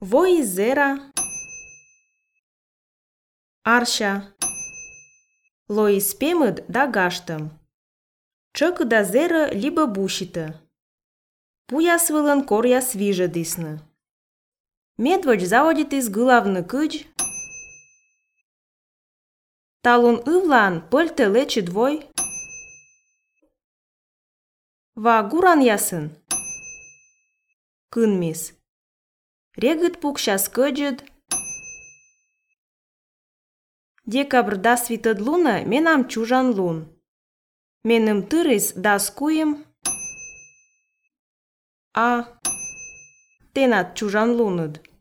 Voi zera, arșa, loi spemăd da gaștăm. Čăcă da zeră libă bușită. Puja svălăn korja sviža disnă. Medvođ zavoditis gâlavnă câgi. Talun ывлан пălte lece dvoi. Va guran jasân. Cânmis. Regăt pucșa scăgăd. Decabr da svităd lună, menam ciujan lun. Menem târâs da scuim. A tenat ciujan lunăd.